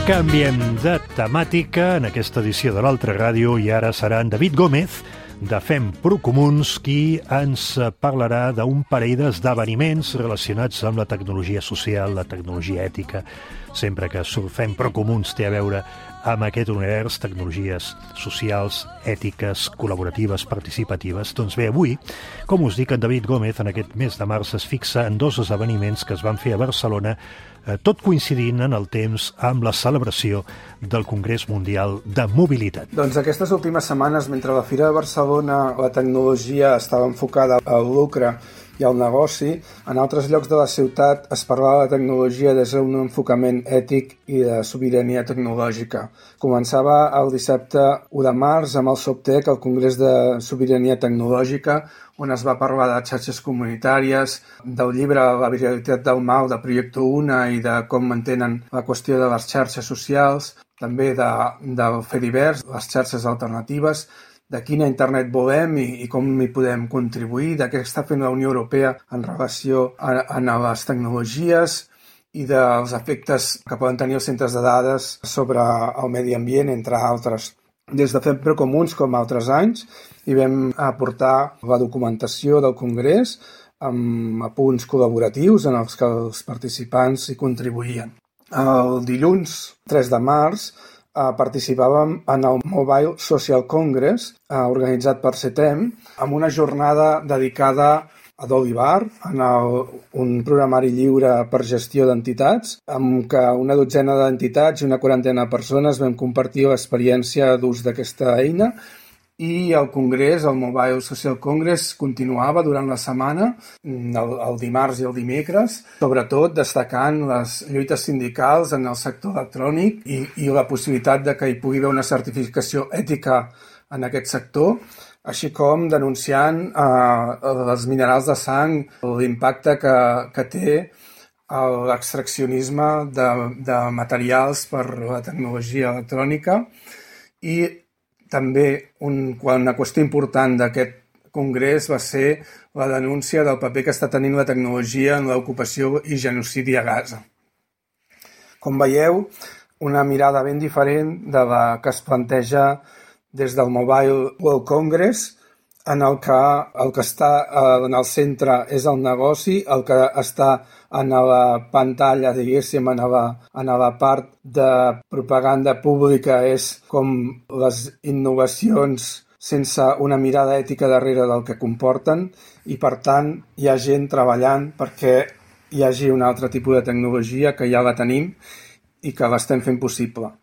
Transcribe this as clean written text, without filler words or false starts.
Canviem de temàtica en aquesta edició de l'Altra Ràdio i ara serà en David Gómez de Fem Procomuns qui ens parlarà d'un parell d'esdeveniments relacionats amb la tecnologia social, la tecnologia ètica. Sempre que Fem Procomuns té a veure amb aquest univers, tecnologies socials, ètiques, col·laboratives, participatives. Doncs bé, avui, com us dic, en David Gómez en aquest mes de març es fixa en dos esdeveniments que es van fer a Barcelona, tot coincidint en el temps amb la celebració del Congrés Mundial de Mobilitat. Doncs aquestes últimes setmanes, mentre a la Fira de Barcelona la tecnologia estava enfocada al lucre i al negoci, en altres llocs de la ciutat es parlava de tecnologia des d'un enfocament ètic i de sobirania tecnològica. Començava el dissabte 1 de març amb el SOBTEC, el Congrés de Sobirania Tecnològica, on es va parlar de xarxes comunitàries, del llibre La viralitat del mal de Proyecto Una i de com mantenen la qüestió de les xarxes socials, també del Fediverse, les xarxes alternatives, de quina internet volem i com hi podem contribuir, de què està fent la Unió Europea en relació a les tecnologies i dels efectes que poden tenir els centres de dades sobre el medi ambient, entre altres. Des de Fem Procomuns, com altres anys, hi vam aportar la documentació del Congrés amb apunts col·laboratius en els que els participants hi contribuïen. El dilluns 3 de març participàvem en el Mobile Social Congress, organitzat per CETEM, amb una jornada dedicada a Dolivar, en un programari lliure per gestió d'entitats, amb què una dotzena d'entitats i una quarantena de persones vam compartir l'experiència d'ús d'aquesta eina. I el congrés, el Mobile Social Congress, continuava durant la setmana, el dimarts i el dimecres, sobretot destacant les lluites sindicals en el sector electrònic i la possibilitat de que hi pugui haver una certificació ètica en aquest sector, així com denunciant els minerals de sang, l'impacte que té l'extraccionisme de materials per la tecnologia electrònica i també una qüestió important d'aquest congrés va ser la denúncia del paper que està tenint la tecnologia en l'ocupació i genocidi a Gaza. Com veieu, una mirada ben diferent de la que es planteja des del Mobile World Congress, en el que està en el centre és el negoci, el que està en la pantalla, diguéssim, en la part de propaganda pública és com les innovacions sense una mirada ètica darrere del que comporten i, per tant, hi ha gent treballant perquè hi hagi un altre tipus de tecnologia que ja la tenim i que l'estem fent possible.